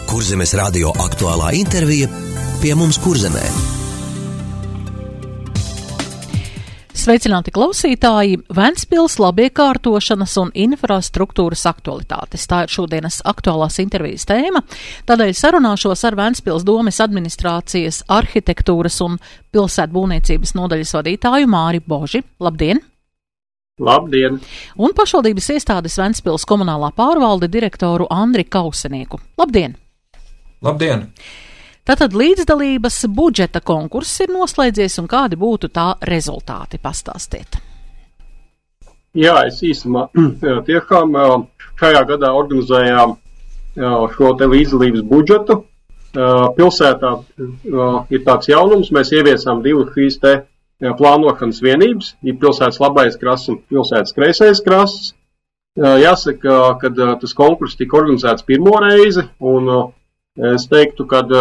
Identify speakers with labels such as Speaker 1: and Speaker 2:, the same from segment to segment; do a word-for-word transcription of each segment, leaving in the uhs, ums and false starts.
Speaker 1: Kurzemes radio aktuālā intervija pie mums Kurzemē.
Speaker 2: Sveicināti klausītāji! Ventspils labiekārtošanas un infrastruktūras aktualitātes. Tā ir šodienas aktuālās intervijas tēma. Tādēļ sarunāšos ar Ventspils domes administrācijas arhitektūras un pilsētbūvniecības nodaļas vadītāju Māri Boži. Labdien!
Speaker 3: Labdien!
Speaker 2: Un pašvaldības iestādes Ventspils komunālā pārvalde direktoru Andri Kausenieku. Labdien!
Speaker 4: Labdien!
Speaker 2: Tātad līdzdalības budžeta konkurss ir noslēdzies un kādi būtu tā rezultāti? Pastāstiet.
Speaker 3: Jā, es īsumā tiešām šajā gadā organizējām šo te līdzdalības budžetu. Pilsētā ir tāds jaunums, mēs ieviesām divas šīs te plānošanas vienības, ir pilsētas labais krasts un pilsētas kreisais krasts. Jāsaka, kad tas konkurss tika organizēts pirmo reizi, un es teiktu, kad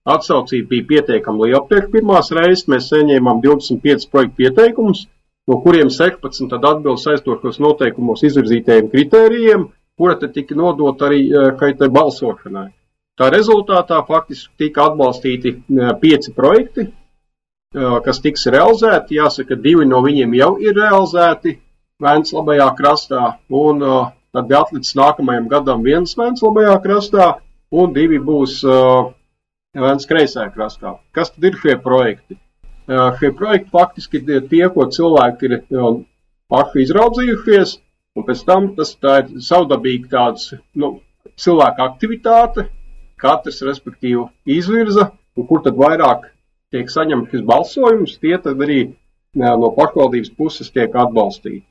Speaker 3: atsaucība bija pietiekami liela priekš pirmās reizes. Mēs saņēmām divdesmit piecus projektu pieteikumus, no kuriem sešpadsmit tad atbilst saistošos noteikumos izvirzītajiem kritērijiem, kura tad tika nodot arī šai balsošanai. Tā rezultātā faktiski tika atbalstīti pieci projekti, kas tiks realizēti. Jāsaka, divi no viņiem jau ir realizēti Vēncas labajā krastā, un tad bija atlicis nākamajam gadam viens Vēncas labajā krastā, un divi būs Vēncas kreisajā krastā. Kas tad ir šie projekti? Šie projekti faktiski ir tie, ko cilvēki ir paši izraudzījušies, un pēc tam tas tā ir savdabīgi tāds, nu, cilvēka aktivitāte, katrs respektīvi izvirza, un kur tad vairāk tiek saņemts šis balsojums, tie tad arī no pašvaldības puses tiek atbalstīti.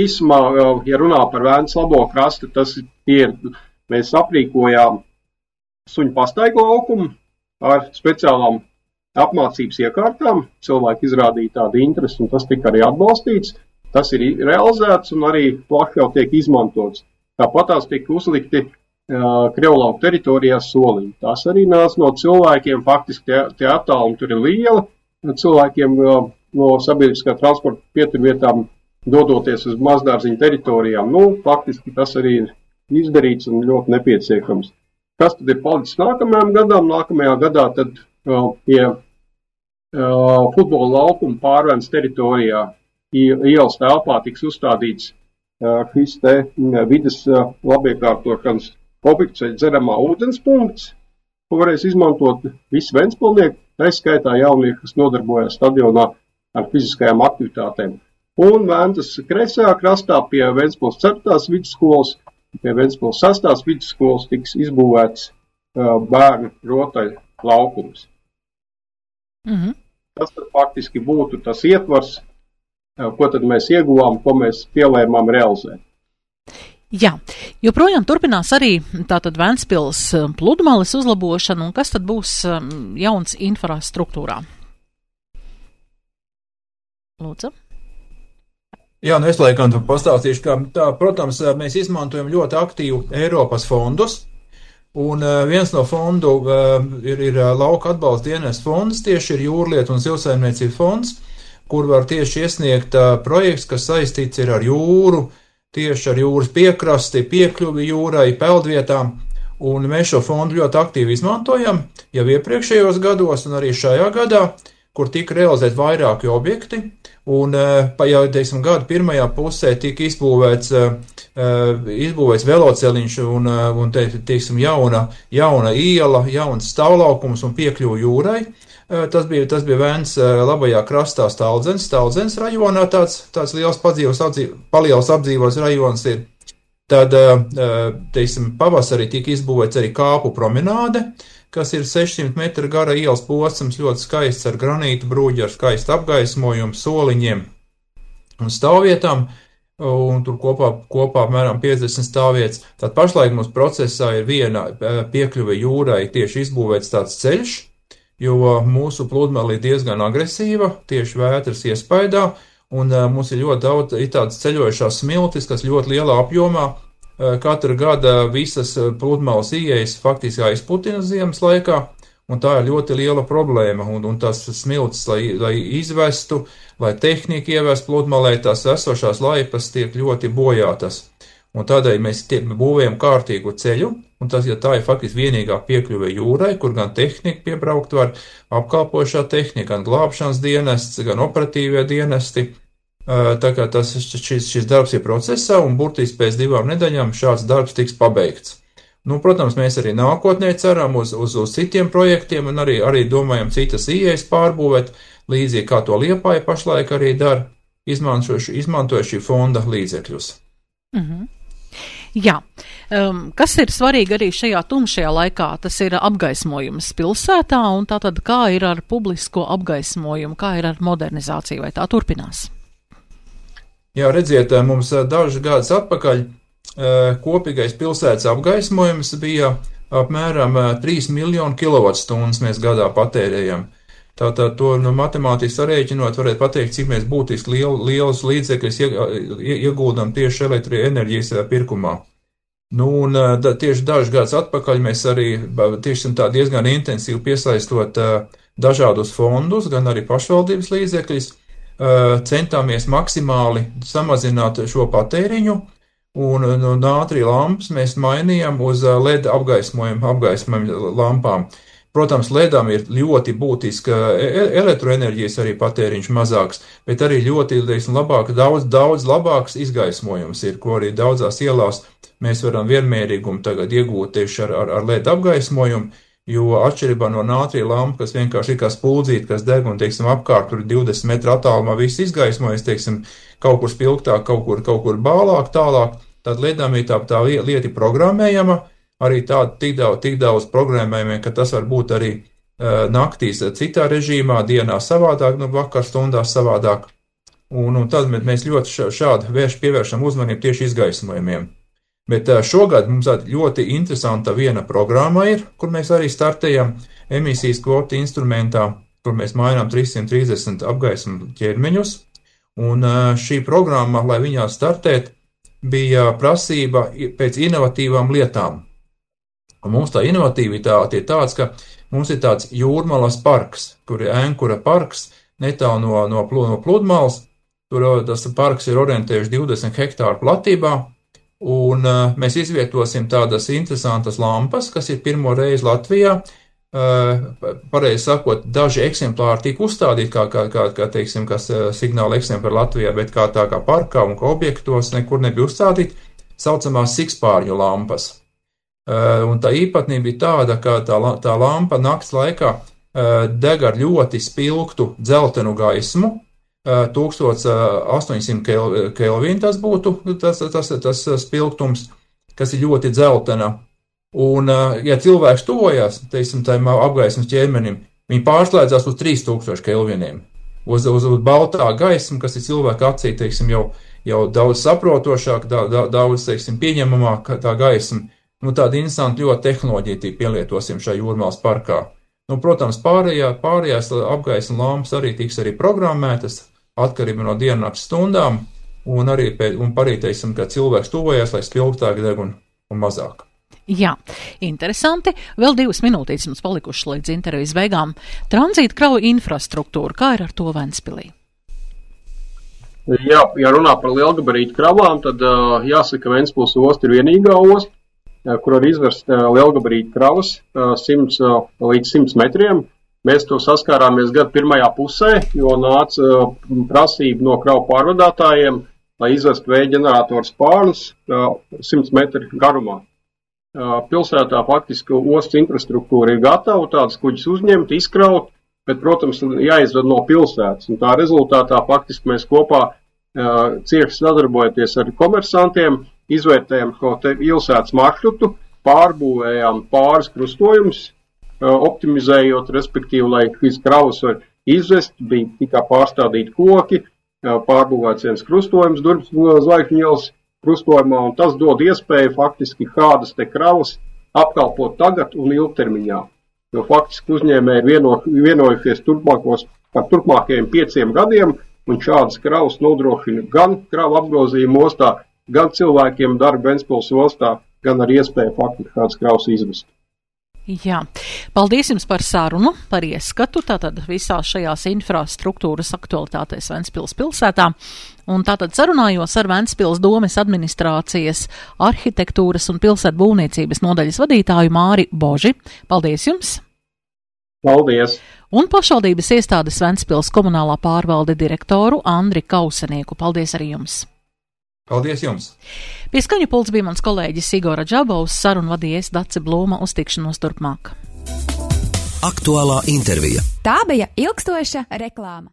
Speaker 3: Īsumā, ja runā par Vēncas labo krastu, tas ir, mēs aprīkojām suņu pastaigu laukumu ar speciālām apmācības iekārtām. Cilvēki izrādīja tādu interesi, un tas tika arī atbalstīts. Tas ir realizēts un arī plaši jau tiek izmantots. Tāpat tās tika uzlikti uh, Krievlauku teritorijās soliņi. Tās arī nāca no cilvēkiem, faktiski tie, tie attālumi tur ir lieli. Cilvēkiem uh, no sabiedriskā transporta pieturvietām dodoties uz mazdārziņu teritorijām. Nu, faktiski tas arī ir izdarīts un ļoti nepieciešams. Kas tad ir palicis nākamajam gadam? Nākamajā gadā tad uh, pie uh, futbola laukuma pārvēns teritorijā ielas telpā tiks uzstādīts uh, šis te uh, vides uh, labiekārtošanas objekts vai dzeramā ūdens punkts, ko varēs izmantot visi ventspilnieki, tā skaitā jaunieši, kas nodarbojas stadionā ar fiziskajām aktivitātēm. Un Vēncas kreisajā krastā pie Ventspils ceturtās vidusskolas Pie Ventspils sastās vidusskolas tiks izbūvēts uh, bērnu rotaļu laukums.
Speaker 2: Mm-hmm.
Speaker 3: Tas tad faktiski būtu tas ietvars, uh, ko tad mēs ieguvām, ko mēs pielēmām realizēt.
Speaker 2: Jā, joprojām turpinās arī tātad Ventspils pludmales uzlabošana, un kas tad būs um, jauns infrastruktūrā? Lūdzu.
Speaker 4: Jā, nu es laikam pastāstīšu, ka tā, protams, mēs izmantojam ļoti aktīvu Eiropas fondus, un viens no fondu ir, ir lauka atbalsta dienas fonds, tieši ir jūrlietu un zivsaimniecības fonds, kur var tieši iesniegt projekts, kas saistīts ir ar jūru, tieši ar jūras piekrasti, piekļuvi jūrai, peldvietām, un mēs šo fondu ļoti aktīvi izmantojam jau iepriekšējos gados un arī šajā gadā, kur tika realizēt vairāki objekti, un pa jau, teiksim, gada pirmajā pusē tika izbūvēts, izbūvēts veloceliņš un, un te, teiksim, jauna, jauna iela, jauns stāvlaukums un piekļuva jūrai. Tas bija, tas bija Vēncas labajā krastā Staldzens, Staldzens rajonā, tāds, tāds liels padzīvos, apdzīvos, paliels apdzīvos rajons ir. Tad, teiksim, pavasarī tika izbūvēts arī kāpu promenāde, kas ir sešsimt metru gara ielas posms, ļoti skaists ar granītu brūģi, ar skaistu apgaismojumu, soliņiem un stāvvietām, un tur kopā, kopā apmēram piecdesmit stāvvietas. Tad pašlaik mums procesā ir viena piekļuve jūrai tieši izbūvēts tāds ceļš, jo mūsu pludmale ir diezgan agresīva, tieši vētras iespaidā, un mums ir ļoti daudz ir tādas ceļojušās smiltis, kas ļoti lielā apjomā. Katru gada visas pludmales ieejas faktiski aizputina ziemas laikā, un tā ir ļoti liela problēma, un, un tās smiltis, lai, lai izvestu, lai tehnika ievest pludmalē, tās esošās laipas tiek ļoti bojātas. Un tādēļ mēs tie, būvējam kārtīgu ceļu, un tas, ja tā ir faktiski vienīgā piekļuve jūrai, kur gan tehnika piebraukt var, apkalpošā tehnika, gan glābšanas dienests, gan operatīvie dienesti. Tā kā tas, šis, šis darbs ir procesā, un burtiski pēc divām nedēļām šāds darbs tiks pabeigts. Nu, protams, mēs arī nākotnē ceram uz, uz, uz citiem projektiem, un arī, arī domājam citas ieejas pārbūvēt, līdzīgi kā to Liepāja pašlaik arī dara, izmantoja šī fonda līdzekļus.
Speaker 2: Mhm. Jā, um, kas ir svarīgi arī šajā tumšajā laikā, tas ir apgaismojums pilsētā, un tātad kā ir ar publisko apgaismojumu, kā ir ar modernizāciju, vai tā turpinās?
Speaker 4: Jā, redziet, mums dažus gadus atpakaļ kopīgais pilsētas apgaismojums bija apmēram trīs miljonu kilovatstundas mēs gadā patērējam. Tātad to nu, matemātiski sarēķinot, varētu pateikt, cik mēs būtiski liel, lielus līdzekļus ieguldam tieši elektroenerģijas pirkumā. Nu, un da, tieši dažus gadus atpakaļ mēs arī tieši tā diezgan intensīvi piesaistot dažādus fondus, gan arī pašvaldības līdzekļus, centāmies maksimāli samazināt šo patēriņu, un no nātrija lampas mēs mainījām uz L E D apgaismojumu, apgaismojumu lampām. Protams, L E D-am ir ļoti būtiska elektroenerģijas arī patēriņš mazāks, bet arī ļoti, teiksim, labāk, daudz, daudz labāks izgaismojums ir, ko arī daudzās ielās mēs varam vienmērīgumu tagad iegūt tieši ar, ar, ar L E D apgaismojumu, jo atšķirībā no nātrija lampa, kas vienkārši ir kā spuldzīte, kas deg un, teiksim, apkārt tur divdesmit metru attālumā viss izgaismojas, teiksim, kaut kur spilgtāk, kaut kur, kaut kur bālāk, tālāk, tad L E D-am ir tā, tā lieta programmējama, arī tāda tik daudz, tik daudz programmējumiem, ka tas var būt arī uh, naktīs citā režīmā, dienā savādāk, nu vakar stundās savādāk. Un, un tad mēs ļoti šādi vērš pievēršam uzmanību tieši izgaismojumiem. Bet uh, šogad mums ļoti interesanta viena programma ir, kur mēs arī startējam emisijas kvotu instrumentā, kur mēs mainām trīssimt trīsdesmit apgaismu ķermeņus. Un uh, šī programma, lai viņā startēt, bija prasība pēc inovatīvām lietām. Un mums tā inovatīvitāte ir tāds, ka mums ir tāds Jūrmalas parks, kur ir Ēnkura parks, netālu no, no, no Pludmales. Tur tas parks ir orientējuši divdesmit hektāru platībā, un uh, mēs izvietosim tādas interesantas lampas, kas ir pirmo reizi Latvijā. Uh, pareizi sakot, daži eksemplāri tika uzstādīti, kā, kā, kā, kā teiksim, kas uh, signāla eksemplāri Latvijā, bet kā tā kā parkā un kā objektos nekur nebija uzstādīti, saucamās sikspārņu lampas. Uh, un tā īpatnība ir tāda, ka tā, tā lampa nakts laikā uh, deg ar ļoti spilgtu dzeltenu gaismu, uh, tūkstoš astoņsimt kelvīnu tas būtu tas, tas, tas spilgtums, kas ir ļoti dzeltena. Un, uh, ja cilvēks tuvojas, teiksim, tajam apgaismas ķermenim, viņi pārslēdzās uz trīs tūkstoši kelviniem. Uz, uz, uz baltā gaismu, kas ir cilvēka acī, teiksim, jau, jau daudz saprotošāk, da, da, daudz, teiksim, pieņemamāk tā gaisma. Nu, tāda interesanta ļoti tehnoloģija pielietosim šajā Jūrmalas parkā. Nu, protams, pārējā, pārējās apgaisma lampas arī tiks arī programmētas atkarībā no diennakts stundām, un arī, un parīteiksim, ka cilvēks tuvojas, lai spilgtāk deg un, un mazāk.
Speaker 2: Jā, interesanti. Vēl divas minūtītes mums palikušas līdz intervijas beigām. Tranzīta kravu infrastruktūra, kā ir ar to Ventspilī?
Speaker 3: Jā, ja runā par lielgabarītu kravām, tad uh, jāsaka, Ventspils osta ir vienīgā osta, kur var izvest lielgabarītu kravas simts līdz simts metriem. Mēs to saskārāmies gada pirmajā pusē, jo nāca prasība no kravu pārvadātājiem, lai izvest vēja ģeneratoru spārnus simts metru garumā. Pilsētā faktiski ostas infrastruktūra ir gatava, tādas kuģis uzņemt, izkraut, bet, protams, jāizved no pilsētas. Un tā rezultātā faktiski mēs kopā cieši sadarbojoties ar komersantiem, izvērtējām šo te pilsētas maršrutu, pārbūvējām pāris krustojumus, optimizējot, respektīvi, lai šīs kravas var izvest, bija tikai pārstādīti koki, pārbūvēts viens krustojums Durvis Zvaigžņu ielas krustojumā, un tas dod iespēju faktiski kādas te kravas apkalpot tagad un ilgtermiņā. Jo faktiski uzņēmēji vieno, vienojušies turpmākos, par turpmākajiem pieciem gadiem, un šādas kravas nodrošina gan kravu apgrozījumu ostā, gan cilvēkiem darba Ventspils ostā, gan ar iespēju faktiski kādas kravas izvest.
Speaker 2: Jā, paldies jums par sarunu, par ieskatu, tātad visās šajās infrastruktūras aktualitātēs Ventspils pilsētā. Un tātad sarunājos ar Ventspils domes administrācijas arhitektūras un pilsētbūvniecības nodaļas vadītāju Māri Boži. Paldies jums!
Speaker 3: Paldies!
Speaker 2: Un pašvaldības iestādes Ventspils komunālā pārvalde direktoru Andri Kausenieku. Paldies arī jums!
Speaker 4: Paldies jums!
Speaker 2: Pie skaņu pults bija mans kolēģis Igora Džabovs, sarunu vadījies Dace Blūma, uz tikšanos turpmāk.
Speaker 1: Aktuālā intervija.
Speaker 5: Tā bija ilgstoša reklāma.